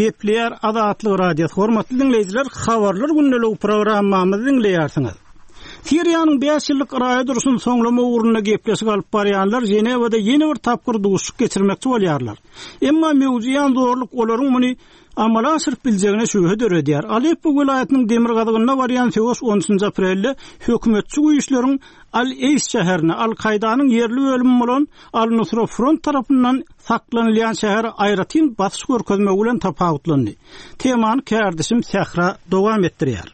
Gepleýär Azatlyk Radiosy. Hormatly diňleýjiler, Habarlar gündeligi programmamyzy diňleýärsiňiz. Siriýanyň bäş ýyllyk raýat urşuny soňlamak ugrunda gepleşik alyp barýanlar Ženewada ýene bir tapgyr duşuşyk geçirmekçi bolýarlar. Emma möwjeýän zorluk olaryň muny amala aşyryp biljegine şübhe döredýär. Aleppo welaýatynyň demirgazygynda barýan söweş on üçünji aprelde hökümetçi güýçleriň Al-Eýs şäherine, Al-Kaýdanyň ýerli bölümi bolan Al-Nusra Front tarapyndan saklanylýan şähere aýratyn basyş görkezmegi bilen tapawutlandy. Temany kärdeşim Sähra dowam etdirýär.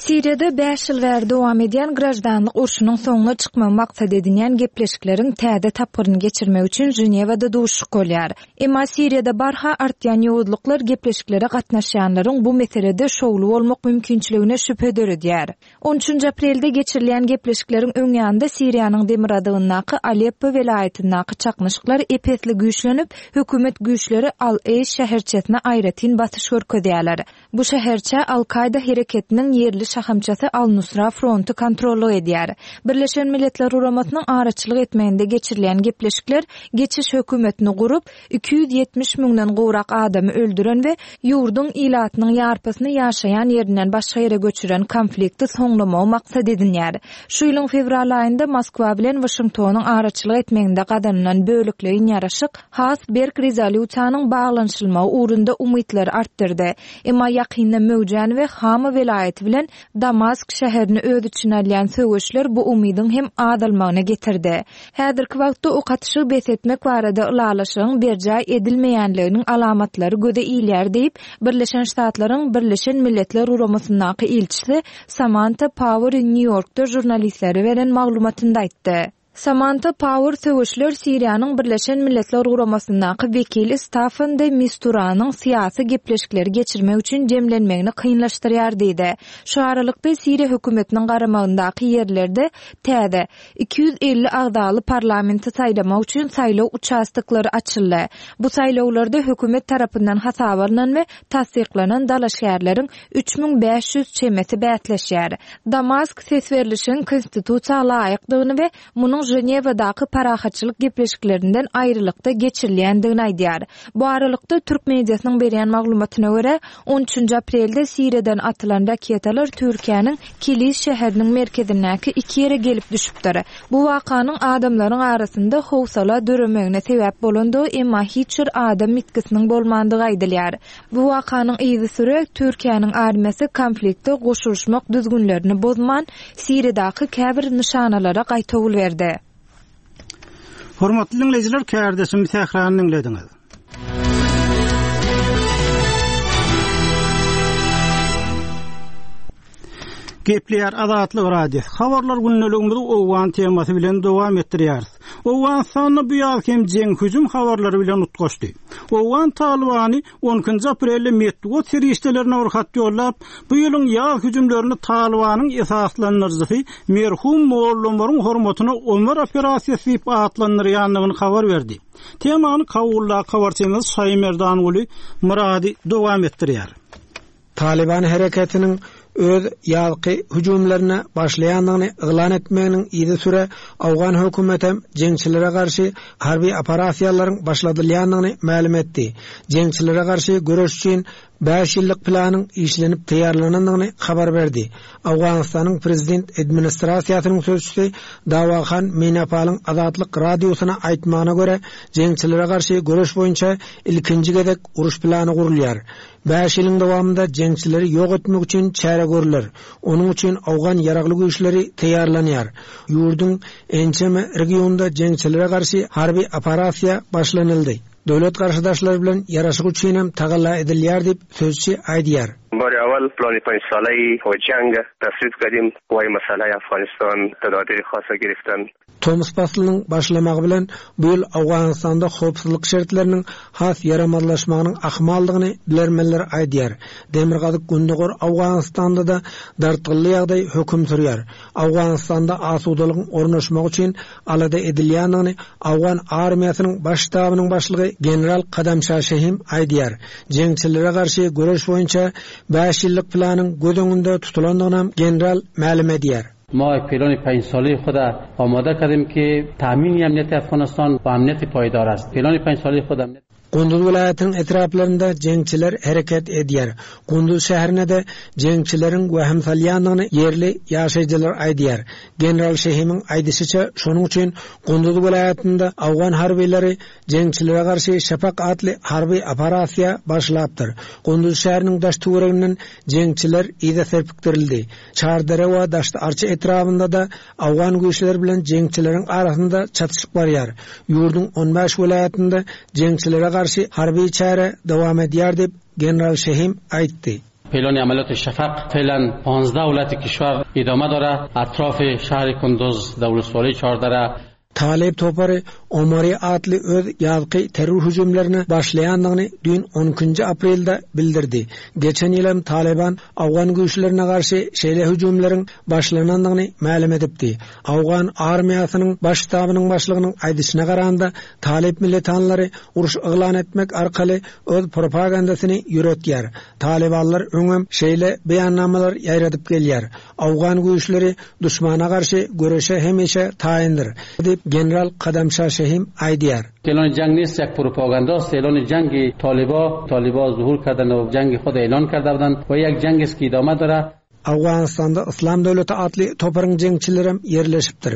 Siriýada bäş ýyl bäri dowam edýän graždanlyk urşunyň soňuna çykmagy maksat edinýän gepleşikleriň täze tapgyryny geçirmek üçin Ženewada duşuşyk bolýar. Emma Siriýada barha artýan ýowuzlyklar gepleşiklere gatnaşýanlaryň bu meselede şowly bolmak mümkinçiligine şübhe döredýär. On üçünji aprelde geçirilýän gepleşikleriň öň ýanynda Siriýanyň demirgazygyndaky Aleppo welaýatyndaky çaknyşyklar ep-esli güýçlenip, hökümet güýçleri Al-Eýş şäherçesine aýratyn basyş görkezýärler. Bu şäherçä Al-Kaýda hereketiniň ýerli şahamçasy Al-Nusra fronty kontrollyk edýär. Birleşen Milletler Guramasynyň araçylyk etmeginde geçirilýän gepleşikler geçiş hökümetini gurup, 270 müňden gowrak adamy öldüren we ýurduň ilatynyň ýarpysyny ýaşaýan ýerinden başga ýere göçüren konflikti soňlamagy maksat edinýär. Şu ýylyň fewral aýynda Moskwa bilen Waşingtonyň araçylyk etmeginde gazanylan bölekleýin ýaraşyk has berk rezolýusiýanyň baglanyşylmagy ugrunda umytlary artdyrdy. Emma ýakynda möwjän we Hama welaýaty bilen Damask şäherini öz içine alýan söweşler bu umydyň hem azalmagyna getirdi. Häzirki wagtda ok atyşygy bes etmek barada ylalaşygyň berjaý edilmeýänliginiň alamatlary göze ilýär diýip, Birleşen Ştatlaryň Birleşen Milletler Guramasyndaky ilçisi Samanta Pauer Nýu-Ýorkda žurnalistlere beren maglumatynda aýtdy. Samanta Pauer söweşler Siriýanyň Birleşen Milletler Guramasyndaky wekili Staffan de Misturanyň syýasy gepleşikleri geçirmek üçin jemlenmegini kynlaşdyrýar diýdi. Şu aralykda, Siriýa hökümetiniň garamagyndaky ýerlerde täze, 250 agzaly parlamenti saýlamak üçin saýlaw uçastoklary açyldy. Bu saýlawlarda hökümet tarapyndan hasaba alnan we tassyklanan dalaşgärleriň 3500 çemesi bäsleşýär. Damask ses berlişigiň konstitusiýa laýykdygyny we munuň Ženewadaky parahatçylyk gepleşiklerinden aýrylykda geçirilýändigini aýdýar. Bu aralykda, türk mediasynyň berýän maglumatyna görä, on üçünji aprelde Siriýadan atylan raketalar Türkiýäniň Kilis şäheriniň merkezindäki iki ýere gelip düşüpdir. Bu wakanyň adamlaryň arasynda howsala döremegine sebäp bolandygy, emma hiç bir adam ýitgisiniň bolmandygy aýdylýar. Bu wakanyň yzysüre Türkiýäniň armiýasy konflikte goşulyşmak düzgünlerini bozman, Siriýadaky käbir nyşanalara gaýtawul berdi. Hormatly diňleýjiler, kärdeşim Sährany diňlediňiz. Gepleýär Azatlyk Radiosy. Habarlar gündeligimizi owgan temasy bilen dowam etdirýäris. Owganystanda bu ýaz hem jeň hüjüm habarlary bilen utgaşdy. Owgan Talybany on ikinji aprelde metbugat serişdelerine bir hat ýollap, bu ýylyň ýaz hüjümlerini Talybanyň esaslandyryjysy merhum Molla Omaryň hormatyna Omar operasiýasy diýip atlandyrýandygyny habar berdi. Temany Kabuldaky habarçymyz Şaýymerdanguly Myrady dowam etdirýär. Talyban hereketiniň öz ýazky hüjümlerine başlaýandygyny yglan etmeginiň yzysüre owgan hökümetem jeňçilere garşy harby operasiýalaryň başladylýandygyny mälim etdi. Jeňçilere garşy göreş üçin bäş ýyllyk planyň işlenip taýýarlanandygyny habar berdi. Owganystanyň prezident administrasiýasynyň sözçüsi Dawahan Meýnapalyň Azatlyk Radiosyna aýtmagyna görä, jeňçilere garşy göreş boýunça ilkinji gezek uruş plany gurulýar. Bäş ýylyň dowamynda jeňçileri ýok etmek üçin çäre görler. Onuň üçin owgan ýaragly güýçleri taýýarlanýar. Ýurduň ençeme regionynda jeňçilere garşy harby operasiýa başlanyldy. Döwlet garşydaşlary bilen ýaraşyk üçinem tagalla edilýär diýip, sözçi aýdýar. Bary awal plany panj salai we jang taswib kardym we masalai Afghanistan tadabir khasa giriftan. Tomus paslynyň başlamagy bilen bu ýyl Owganystanda howpsuzlyk şertleriniň has ýaramazlaşmagynyň ahmaldygyny bilermenler aýdýar. Demirgazyk-gündogar Owganystanda-da dartgynly ýagdaý höküm sürýär. Owganystanda asudalygyň ornaşmagy üçin alada edilýändigini owgan armiýasynyň baş ştabynyň başlygy general Kadamşa Şehim aýdýar. Jeňçilere garşy göreş boýunça bäş ýyllyk planyň göz öňünde tutulandygynam general mälim edýär. ما یک پلان پنج ساله خود آماده کردیم که تامین امنیت افغانستان و امنیت پایدار است. پلان پنج ساله خود امنیت. Gunduz welaýatynyň etraplarynda jeňçiler hereket edýär. Gunduz şäherine-de jeňçileriň wehim salýandygyny ýerli ýaşaýjylar aýdýar. General Şehimiň aýdyşyça, şonuň üçin Gunduz welaýatynda owgan harbylary jeňçilere garşy Şafak atly harby operasiýa başlapdyr. Gunduz şäheriniň daş-töwereginden jeňçiler yza serpikdirildi. Çardere we Daşty-Arça etrabynda-da Owgan güýçleri bilen jeňçileriň arasynda çatyşyk barýar. Ýurduň on bäş welaýatynda jeňçilere garşy harby çäre dowam edýär diýip, general Şehim aýtdy. Peylan عملیات شفق فعلا 15 ولایت کشور ادامه داره اطراف شهر کندز در ولسوالی چهاردره Talyp topary Omari atly öz ýazky terror hüjümlerine başlaýandygyny düýn on ikinji aprelde bildirdi. Geçen ýyl hem Talyban owgan güýçlerine garşy şeýle hüjümleriň başlanandygyny mälim edipdi. Owgan armiýasynyň baş ştabynyň başlygynyň aýdyşyna garanda, talyp militanlary uruş yglan etmek arkaly öz propagandasyny ýöretýär. Talybanlar öňem şeýle beýannamalar ýaýradyp gelýär. Owgan güýçleri duşmana garşy göreşe hemişe taýyndyr, diýip, general Kadamşa Şehim aýdýar. اعلان جنگ نیست یک پروپاگاندا است اعلان جنگ طالبا طالبا ظهور کردن و جنگ خود اعلان کرده بودند و یک جنگ است که ادامه داره Owganystanda Yslam döwleti atly toparyň jeňçilerem ýerleşipdir.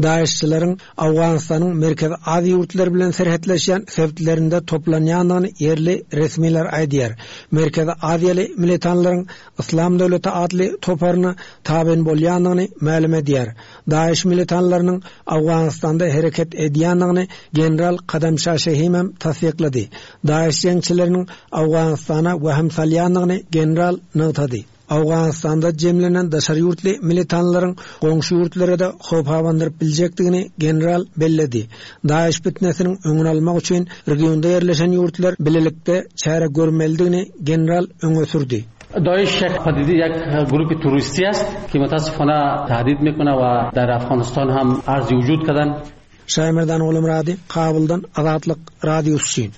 DAEŞ-çileriň Owganystanyň Merkezi Aziýa ýurtlary bilen serhetleşýän sebitlerinde toplanýandygyny ýerli resmiler aýdýar. Merkezi Aziýaly militanlaryň Yslam döwleti atly toparyna tabyn bolýandygyny mälim edýär. DAEŞ militanlarynyň Owganystanda hereket edýändigini general Kadamşa Şehimem tassyklady. DAEŞ jeňçileriniň Owganystana wehim salýandygyny general nygtady. Owganystanda jemlenen daşary ýurtly militanlaryň goňşy ýurtlara-da howp abandyryp biljekdigini general belledi. DAEŞ pitnesiniň öňüni almak üçin regionda ýerleşen ýurtlar bilelikde çäre görmelidigini general öňe sürdi. داعش یک پدیده یک گروه تروریستی است که متاسفانه تهدید میکنه و در افغانستان هم عرض وجود کردن. Şaýmerdan Ogulmyrady, Kabuldan Azatlyk Radiosy üçin.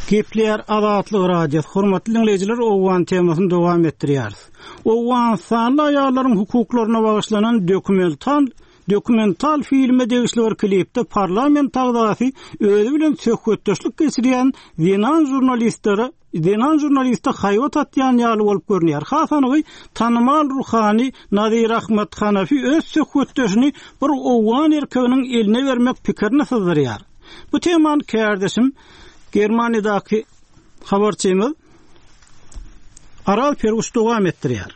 Gepleýär Azatlyk Radiosy. Hormatly diňleýjiler, owgan temasyny dowam etdirýäris. Owganystanly aýallaryň hukuklaryna bagyşlanan dokumental dokumental filme degişli bir klipde parlament agzasy özi bilen söhbetdeşlik geçirýän zenan žurnalistlere Zenan žurnaliste haýbat atýan ýaly bolup görünýär. Has anygy, tanymal ruhany Nazir Ahmad Hanafi öz söhbetdeşini bir owgan erkeginiň eline bermek pikirini syzdyrýar. Bu temany kärdeşim, Germaniýadaky habarçymyz Aral Perguş dowam etdirýär.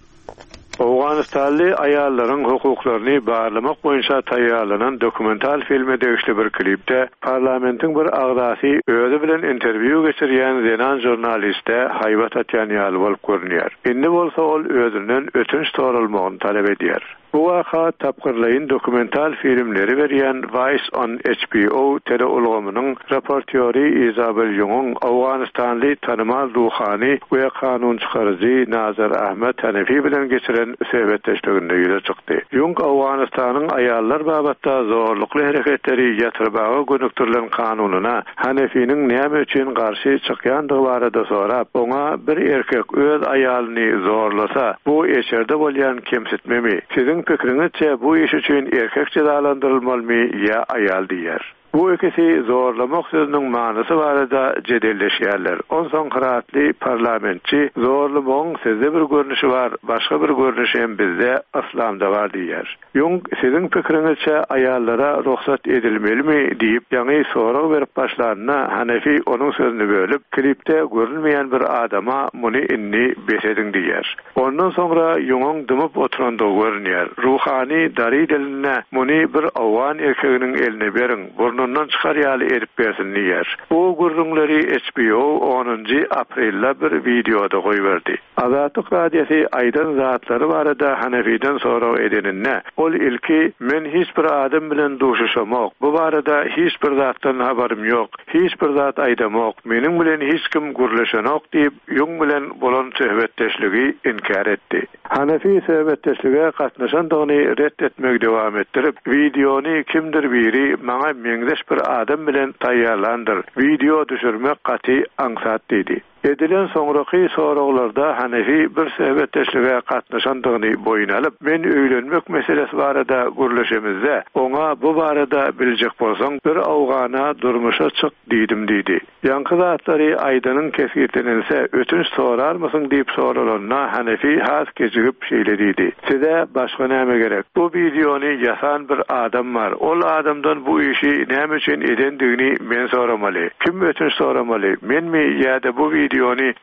Owganystanly aýallaryň hukuklaryny barlamak boýunça taýýarlanan dokumental filme degişli bir klipde parlamentiň bir agzasy özi bilen interwýu geçirýän zenan žurnaliste haýbat atýan ýaly bolup görünýär. Indi bolsa ol özünden ötünç soralmagyny talap edýär. Bu waka tapgyrlaýyn dokumental filmleri berýän Vice on HBO teleulgamynyň reportýory Izabel Ýungyň owganystanly tanymal ruhany we kanunçykaryjy Nazar Ahmad Hanefi bilen geçiren söhbetdeşliginde ýüze çykdy. Ýung Owganystanyň aýallar babatda zorlukly hereketleri ýatyrmaga gönükdirilen kanunyna Hanefiniň näme üçin garşy çykýandygy barada sorap, oňa bir erkek öz aýalyny zorlasa, bu eşerde bolýan kemsitmemi? Siziň pikiriňizçe bu iş üçin erkek jezalandyrylmalymy ýa aýal diýýär. Bu ikisi zorlamak sözüniň manysy barada jedelleşýärler. Onsoň hyratly parlamentçi zorlamagyň sizde bir görnüşi bar, başga bir görnüşi hem bizde, yslamda bar diýýär. Ýung, siziň pikiriňizçe aýallara rugsat edilmelimi diýip, ýaňy sorag berip başlanda, Hanefi onuň sözüni bölüp, klipde görünmeýän bir adama muny indi bes ediň diýýär. Ondan soňra Ýungyň dymyp oturandygy görünýär. Ruhany dariý dilinde muny bir owgan erkeginiň eline beriň, burnundan çykar ýaly edip bersin diýýär. Bu gürrüňleri HBO onunjy aprelde bir wideoda goýberdi. Azatlyk Radiosy aýdan zatlary barada Hanefiden sorag edeninde, ol ilki, Men hiç bir adam bilen duşuşamok, bu barada hiç bir zatdan habarym ýok, hiç bir zat aýdamok, meniň bilen hiç kim gürleşenok diýip, Ýung bilen bolan söhbetdeşligi inkär etdi. Hanefi söhbetdeşlige gatnaşandygyny ret etmegi dowam etdirip, Wideony kimdir biri maňa meňzeş bir adam bilen taýýarlandyr, wideo düşürmek gaty aňsat diýdi. Edilen soňraky soraglarda Hanefi bir söhbetdeşlige gatnaşandygyny boýun alyp, Men öýlenmek meselesi barada gürleşemizde, oňa bu barada biljek bolsaň, bir owgana durmuşa çyk diýdim diýdi. Ýaňky zatlary aýdanyň kesgitlenilse, ötünç sorarmysyň diýip soralanda, Hanefi has kejigip şeýle diýdi, Size başga näme gerek? Bu wideony ýasan bir adam bar. Ol adamdan bu işi näme üçin edendigini men soramaly. Kim ötünç soramaly, menmi ýa-da bu wideony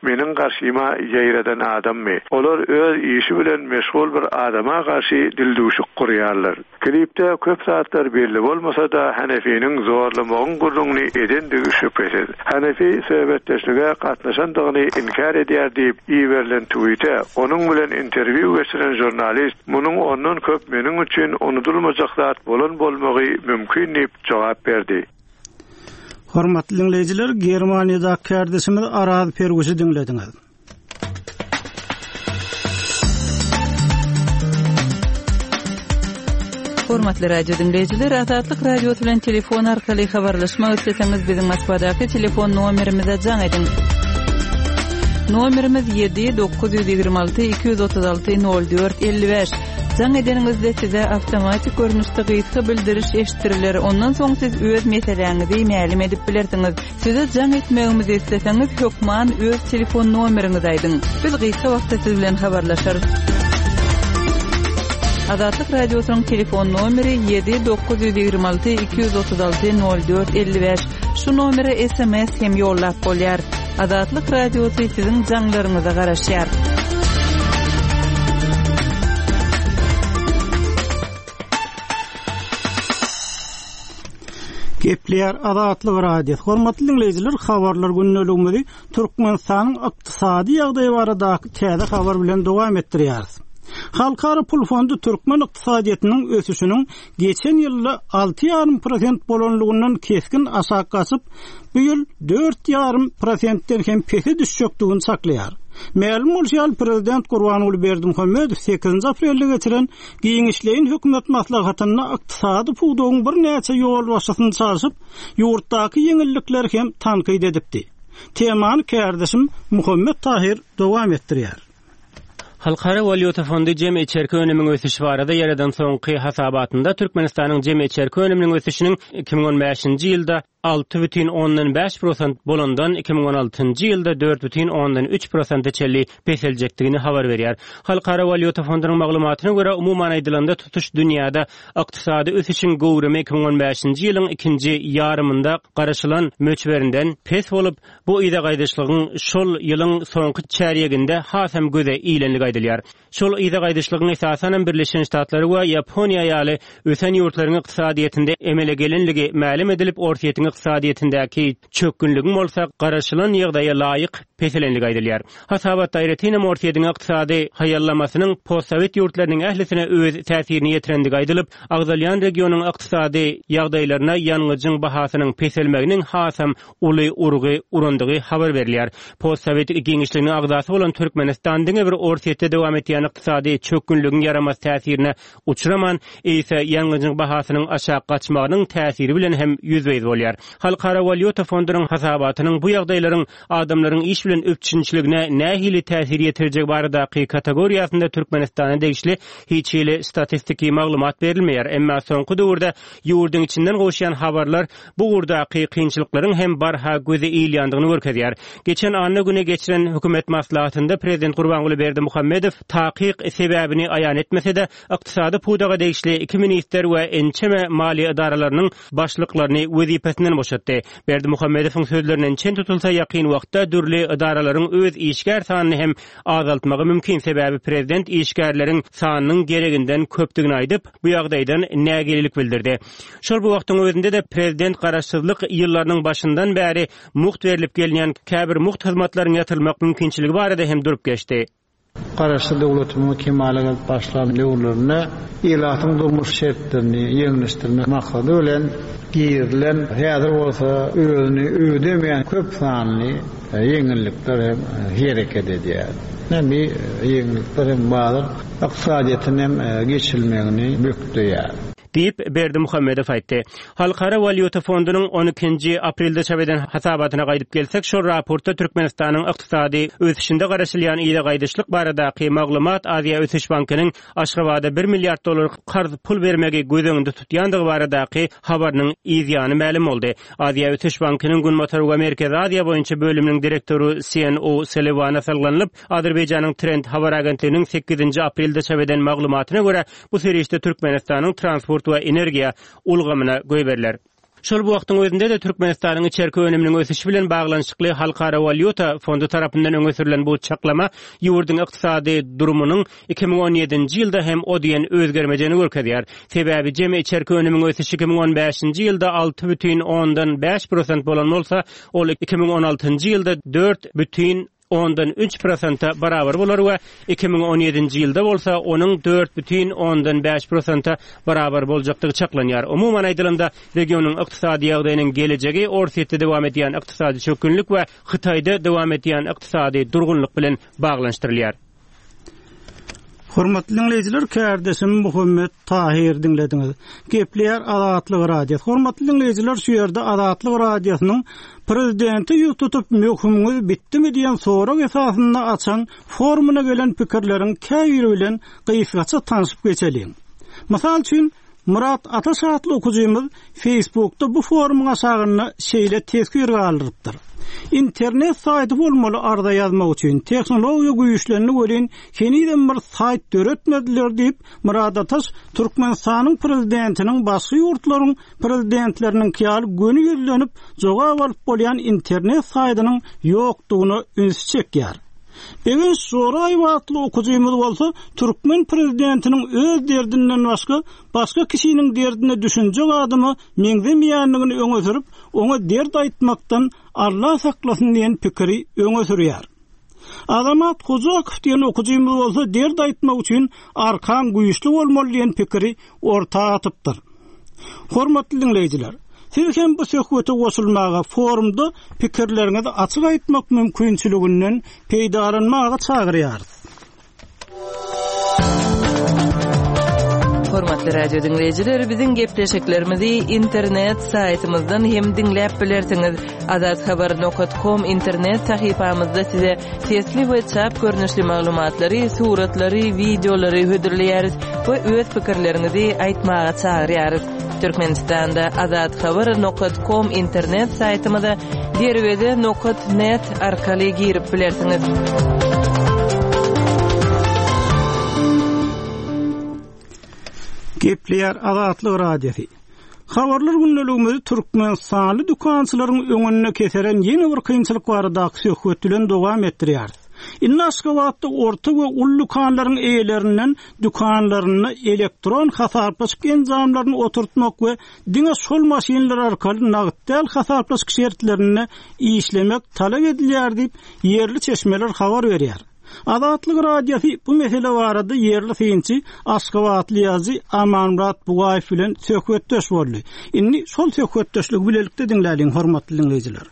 meniň garşyma ýaýradan adammy? Olar öz işi bilen meşgul bir adama garşy dildüwşük gurýarlar. Klipde köp zatlar belli bolmasa-da, Hanefiniň zorlamagyň gürrüňini edendigi şübhesiz. Hanefi söhbetdeşlige gatnaşandygyny inkär edýär diýip, iberilen twite onuň bilen interwýu geçiren žurnalist munuň ondan köp meniň üçin unudylmajak zat bolan bolmagy mümkin diýip jogap berdi. Hormatly diňleýjiler, Germaniýadaky kärdeşimiz Araz Perwişi diňlediňiz. Hormatly radio diňleýjiler, Azatlyk Radiosy bilen telefon arkaly habarlaşmak isleseňiz, biziň Moskwadaky telefon nomerimize jaň ediň. Nomerimiz 7 926 236 04 55. Jaň edeniňizde size awtomatik görnüşde gysga bildiriş eşitdiriler. Ondan soň siz öz meseläňizi mälim edip bilersiňiz. Size jaň etmegimizi isleseňiz, hökman öz telefon nomeriňizi aýdyň. Biz gysga wagtda siz bilen habarlaşarys. Azatlyk Radiosynyň telefon nomeri 7 926 236 04 55. Şu nomere sms hem ýollap bolýar. Azatlyk Radiosy siziň jaňlaryňyza garaşýar. Gepleýär Azatlyk Radiosy. Hormatly diňleýjiler, habarlar gündeligimizi Türkmenistanyň ykdysady ýagdaýy baradaky täze habar bilen dowam etdirýäris. Halkara pul fondy türkmen ykdysadyýetiniň ösüşiniň geçen ýylda 6,5 prosent bolanlygyndan kesgin aşak gaçyp, bu ýyl 4,5 prosentden hem pese düşjekdigini çaklaýar. Mälim bolşy ýaly, prezident Gurbanguly Berdimuhamedow sekizinji aprelde geçiren Giňişleýin hökümet maslahatynda ykdysady pudagyň birnäçe ýolbaşçysyny çalşyp, ýurtdaky ýeňillikleri hem tankyt edipdi. Temany kärdeşim Muhammet Tahyr dowam etdirýär. Halkara walýuta fondy jemi içerki önümiň ösüşi barada ýaradan soňky hasabatynda Türkmenistanyň jemi içerki önüminiň ösüşiniň 2015-nji ýylda 6,5 prosent bolandan 2016-njy ýylda 4,3 prosente çenli peseljekdigini habar berýär. Halkara walýuta fondunyň maglumatyna görä, umuman aýdylanda, tutuş dünýäde ykdysady ösüşiň göwrümi 2015-nji ýylyň ikinji ýarymynda garaşylan möçberinden pes bolup, bu yza gaýdyşlygyň şol ýylyň soňky çärýeginde hasam göze ilenligi aýdylýar. Şol yza gaýdyşlygyň esasanam Birleşen Ştatlary we Ýaponiýa ýaly ösen ýurtlaryň ykdysadyýetinde emele gelenligi mälim edilip, Orsýetiň ykdysadyýetindäki çökgünligiň bolsa garaşylan ýagdaýa laýyk peselenligi aýdylýar. Hasabatda aýratynam Orsýetiň ykdysady haýallamasynyň postsowet ýurtlarynyň ählisine öz täsirini ýetirendigi aýdylyp, agzalýan regionyň ykdysady ýagdaýlaryna ýangyjyň bahasynyň peselmeginiň hasam uly urgy urandygy habar berilýär. Postsowet giňişliginiň agzasy bolan Türkmenistan diňe bir Orsýetde dowam etýän ykdysady çökgünligiň ýaramaz täsirine uçraman, eýse ýangyjyň bahasynyň aşak gaçmagynyň täsiri bilen hem ýüzbe-ýüz bolýar. Halkara walýuta fondunyň hasabatynyň bu ýagdaýlaryň adamlaryň iş bilen üpjünçiligine nähili täsir ýetirjegi baradaky kategoriýasynda Türkmenistana degişli hiç hili statistiki maglumat berilmeýär. Emma soňky döwürde ýurduň içinden gowuşýan habarlar bu ugurdaky kynçylyklaryň hem barha göze ilýändigini görkezýär. Geçen anna güni geçiren hökümet maslahatynda prezident Gurbanguly Berdimuhamedow takyk sebäbini aýan etmese-de, ykdysady pudaga degişli iki ministr we ençeme maliýe edaralarynyň başlyklaryny wezipesinden boşatdy. Berdimuhamedowyň sözlerinden çen tutulsa, ýakyn wagtda dürli edaralaryň öz işgär sanyny hem azaltmagy mümkin, sebäbi prezident işgärleriň sanynyň gereginden köpdügini aýdyp, bu ýagdaýdan nägilelik bildirdi. Şol bir wagtyň özünde-de prezident garaşsyzlyk ýyllarynyň başyndan bäri mugt berlip gelinýän käbir mugt hyzmatlaryň ýatyrylmak mümkinçiligi barada hem durup geçdi. Garaşsyz döwletimiziň kemala gelip başlan döwürlerinde ilatyň durmuş şertlerini ýeňilleşdirmek maksady bilen girizilen, häzir bolsa özüni ödemeýän köp sanly ýeňillikler hem hereket edýär. Ine, bu ýeňillikler hem bazar ykdysadyýetine hem geçilmegini bökdeýär. Diýip, Berdimuhamedow aýtdy. Halkara walýuta fondunyň on ikinji aprelde çap eden hasabatyna gaýdyp gelsek, şol raportda Türkmenistanyň ykdysady ösüşinde garaşylýan yza gaýdyşlyk baradaky maglumat Aziýa ösüş bankynyň Aşgabada bir milliard dollar karz pul bermegi göz öňünde tutýandygy baradaky habarynyň yzýany mälim boldy. Aziýa ösüş bankynyň Günbatar we Merkezi Aziýa boýunça bölüminiň direktory Sien O'Sulliwana salgylanyp, Azerbaýjanyň Trend habar agentliginiň sekizinji aprelde çap eden maglumatyna görä, Bu serişde Türkmenistanyň transport we energiýa ulgamyna goýberiler. Şol bir wagtyň özünde-de Türkmenistanyň içerki önüminiň ösüşi bilen baglanyşykly Halkara walýuta fondy tarapyndan öňe sürlen bu çaklama ýurduň ykdysady durumynyň 2017-nji ýylda hem o diýen özgermejegini görkezýär. Sebäbi jemi içerki önümiň ösüşi 2015-nji ýylda 6,5 prosent bolan bolsa, ol 2016-njy ýylda dört bütin 3 prosente barabar bolar we 2017-nji ýylda bolsa onuň 4,5 prosente barabar boljakdygy çaklanýar. Umuman aýdylanda, regionyň ykdysady ýagdaýynyň gelejegi Orsýetde dowam edýän ykdysady çökgünlik we Hytaýda dowam edýän ykdysady durgunlyk bilen baglanyşdyrylýar. Hormatly diňleýjiler, kärdeşim Muhammet Tahyr diňlediňiz. Gepleýär Azatlyk Radiosy. Hormatly diňleýjiler, şu ýerde Azatlyk Radiosynyň Prezidente ýüz tutup möhümiňiz bitdimi diýen sorag esasynda açan forumyna gelen pikirleriň käbiri bilen gysgaça tanşyp geçeliň. Mysal üçin, Myrat Ataş atly okyjymyz Facebookda bu forumyň aşagynda şeýle teswir galdyrypdyr, Internet saýty bolmaly arza ýazmak üçin, tehnologiýa güýçlendi welin henizem bir saýt döretmediler diýip, Myrat Ataş Türkmenistanyň prezidentiniň başga ýurtlaryň prezidentleriniňki ýaly göni ýüzlenip jogap alyp bolýan internet saýtynyň ýokdugyna ünsi çekýär. Begenç Joraýew atly okyjymyz bolsa türkmen prezidentiniň öz derdinden başga başga kişiniň derdine düşünjek adama meňzemeýändigini öňe sürüp, oňa dert aýtmakdan Alla saklasyn diýen pikiri öňe sürýär. Azamat Hojakow diýen okyjymyz bolsa dert aýtmak üçin arkaň güýçli bolmaly diýen pikiri orta atypdyr. Hormatly diňleýjiler, siz hem bu söhbete goşulmaga, forumda pikirleriňizi açyk aýtmak mümkinçiliginden peýdalanmaga çagyrýarys. Hormatly radio diňleýjiler, biziň gepleşiklerimizi internet saýtymyzdan hem diňläp bilersiňiz. Azathabar nokat kom internet sahypamyzda size sesli we çap görnüşli maglumatlary, suratlary, wideolary hödürleýäris we öz pikirleriňizi aýtmaga çagyrýarys. Türkmenistanda Azathabar nokat kom internet saýtymyza derweze nokat net arkaly girip bilersiňiz. Gepleýär Azatlyk Radiosy. Habarlar gündeligimizi türkmenistanly dükançylaryň öňünde keseren ýene bir kynçylyk baradaky söhbet bilen dowam etdirýäris. Indi Aşgabatda orta we uly dükanlaryň eýelerinden dükanlarynda elektron hasaplaşyk enjamlaryny oturtmak we diňe şol maşynlar arkaly nagt däl hasaplaşyk şertlerinde işlemek talap edilýär diýip, ýerli çeşmeler habar berýär. Azatlyk Radiosy bu mesele barada ýerli synçy, aşgabatly ýazyjy Amanmyrat Bugaýew bilen söhbetdeş boldy. Indi şol söhbetdeşligi bilelikde diňläliň, hormatly diňleýjiler.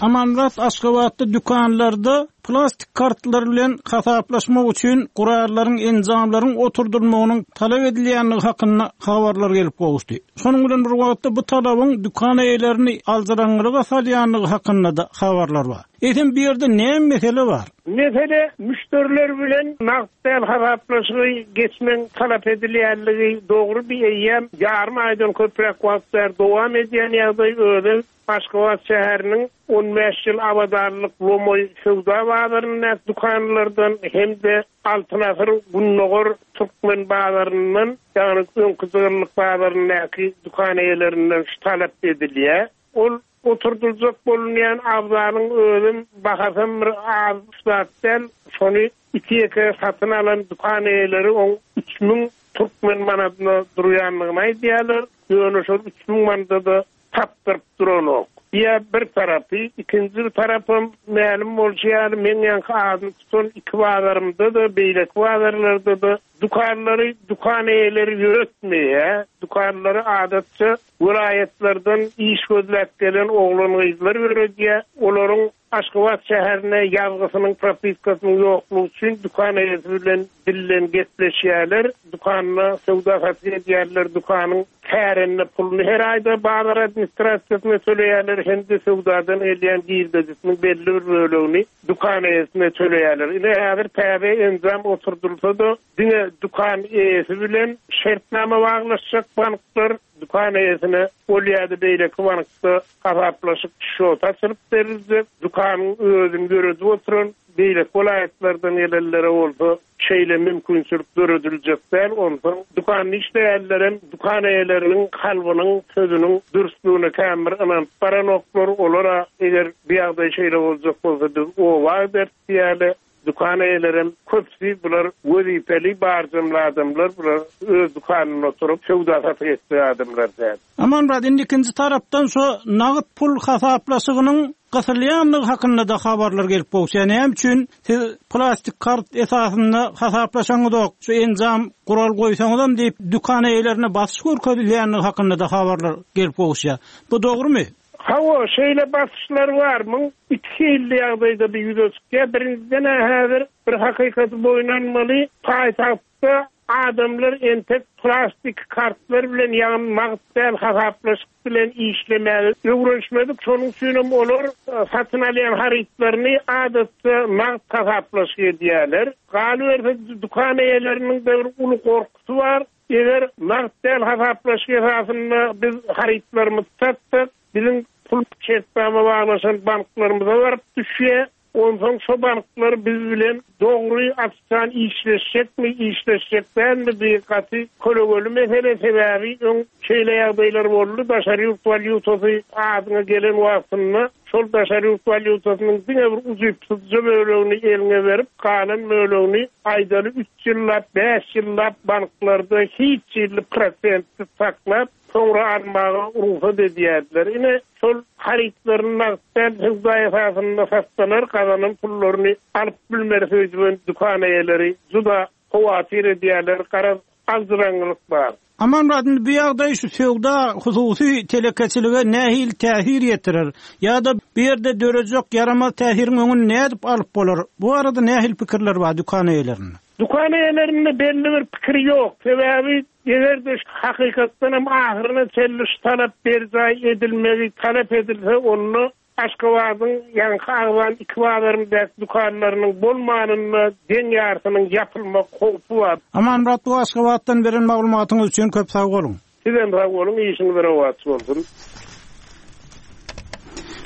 Amanmyrat, Aşgabatda dükanlarda plastik kartlar bilen hasaplaşmak üçin gurallaryň, enjamlaryň oturdylmagynyň talap edilýändigi hakynda habarlar gelip gowuşdy. Şonuň bilen bir wagtda bu talabyň dükan eýelerini aljyraňňylyga salýandygy hakynda-da habarlar bar. Eýsem bu ýerde näme mesele bar? Mesele müşderiler bilen nagt däl hasaplaşygy geçmegiň talap edilýänligi dogry bi eýýäm ýarym aýdan köpräk wagt bäri dowam edýän ýagdaý özem Aşgabat şäheriniň 15 ýyl abadanlyk lomaý söwda bazaryndaky dükanlardan hem-de Altyn asyr gündogar türkmen bazaryndan ýagny öňki jygyllyk bazaryndaky dükan eýelerinden şu talap edilýär. Ol Oturdyljak bolunýan abzalyň özem, bahasam bir az zat däl. Şony iki-ýeke satyn alan dükan eýeleri oň 3000 türkmen manadyna durýandygyny aýdýarlar. Ýöne şol 3000 manada-da tapdyryp duranok. Diýýär bir tarapy. Ikinji bir tarapam, mälim bolşy ýaly, meň ýaňky adyny tutan iki bazarymda-da, beýleki bazarlarda-da. Dükanlary dükan eýeleri ýöretmeýär. Dükanlary adatça welaýatlardan iş gözläp gelen oglan-gyzlar ýöredýär. Olaryň Aşgabat şäherine ýazgysynyň, propiskasynyň ýoklugy üçin dükan eýesi bilen dilden gepleşýärler. Dükanda söwda-satyk edýärler, dükanyň kärende puluny her aýda bazar administrasiýasyna töleýärler hem-de söwdadan gelýän girdejisiniň belli bir bölegini dükan eýesine töleýärler. Ine, häzir täze enjam oturdylsa-da, diňe dükan eýesi bilen şertnama baglaşjak banklar dükan eýesine ol ýa-da beýleki bankda hasaplaşyk şoty açylyp beriljek, dükanyň özüni ýöredip oturan beýleki welaýatlardan gelenlere bolsa şeýle mümkinçilik dörediljek däl. Onsoň dükanda işleýänlerem dükan eýeleriniň kalbynyň, sözüniň dürslügine kän bir ynanyp baranoklar. Olar-a eger bu ýagdaý şeýle boljak bolsa biz oba gideris diýýärler. Dükan eýelerem köpüsi bular wezipeli barjamly adamlar, bular öz dükanynda oturyp söwda-satyk etjek adamlar däl. Amanmyrat, indi ikinji tarapdan şo nagt pul hasaplaşygynyň gysylýandygy hakynda-da habarlar gelip gowuşýar. Näme üçin siz plastik kart esasynda hasaplaşaňyzok, şu enjam, gural goýsaňyzam diýip, dükan eýelerine basyş görkezilýändigi hakynda-da habarlar gelip gowuşýar. Bu dogrumy? Hawa, şeýle basyşlar bar. Muň iki hilli ýagdaýda bu ýüze çykýar. Birinjiden-ä häzir bir hakykaty boýun almaly, paýtagtda adamlar entek plastik kartlar bilen, ýagny nagt däl hasaplaşyk bilen işlemäge öwrenişmedik. Şonuň üçinem olar satyn alýan harytlaryny adatça nagt hasaplaşyk edýärler. Galyberse, dükan eýeleriniň-de bir uly gorkusy bar. Eger nagt däl hasaplaşyk esasynda biz harytlarymyzy satsak, biziň pul şertnama baglaşan banklarymyza baryp düşýär. Onsoň şo banklar biz bilen dogry açjan işleşjekmi, işleşjek dälmi bu gaty kölegeli mesele. Sebäbi öň şeýle ýagdaýlar boldy, daşary ýurt walýutasy adyňa gelen wagtynda şol daşary ýurt walýutasynyň diňe bir ujypsyzja bölegini eliňe berip, galan bölegini aýdaly üç ýyllap, bäş ýyllap banklarda hiç hili prosentsiz saklap, soňra almaga rugsat edýärdiler. Ine, şol harytlaryny nagt däl söwda esasynda satsalar, gazanan pullaryny alyp bilmeris öýdüben dükan eýeleri juda howatyr edýärler, garaz, aljyraňňylyk bar. Amanmyrat, indi bu ýagdaý şu söwda, hususy telekeçilige nähili täsir ýetirer? Ýa-da bu ýerde dörejek ýaramaz täsiriň öňüni nädip alyp bolar? Bu barada nähili pikirler bar dükan eýelerinde? Dükan eýelerinde belli bir pikir ýok. Sebäbi eger-de hakykatdan hem ahyryna çenli şu talap berjaý edilmegi talap edilse, onda Aşgabadyň ýaňky agzan iki bazaryndaky dükanlarynyň bolmanynda deň ýarsynyň ýapylmak howpy bar. Amanmyrat bu Aşgabatdan beren maglumatyňyz üçin köp sag boluň. Sizem sag boluň işiňiz rowaç bolsun.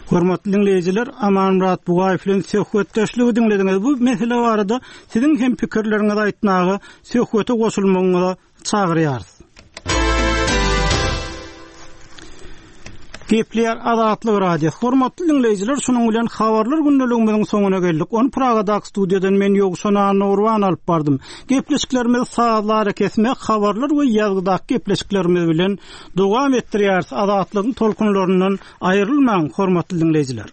Hormatly diňleýjiler, Amanmyrat Bugaýew bilen söhbetdeşligi diňlediňiz. Bu mesele barada siziň hem pikirleriňizi aýtmaga, söhbete goşulmagyňyza çagyrýarys. Gepleýär Azatlyk Radiosy. Hormatly diňleýjiler, şunuň bilen habarlar gündeligimiziň soňuna geldik. Ony Pragadaky studiýadan men Ýowşan Annagurban alyp bardym. Gepleşiklerimizi sazly arakesme, habarlar we ýazgydaky gepleşiklerimiz bilen dowam etdirýäris. Azatlygyň tolkunlaryndan aýrylmaň, hormatly diňleýjiler.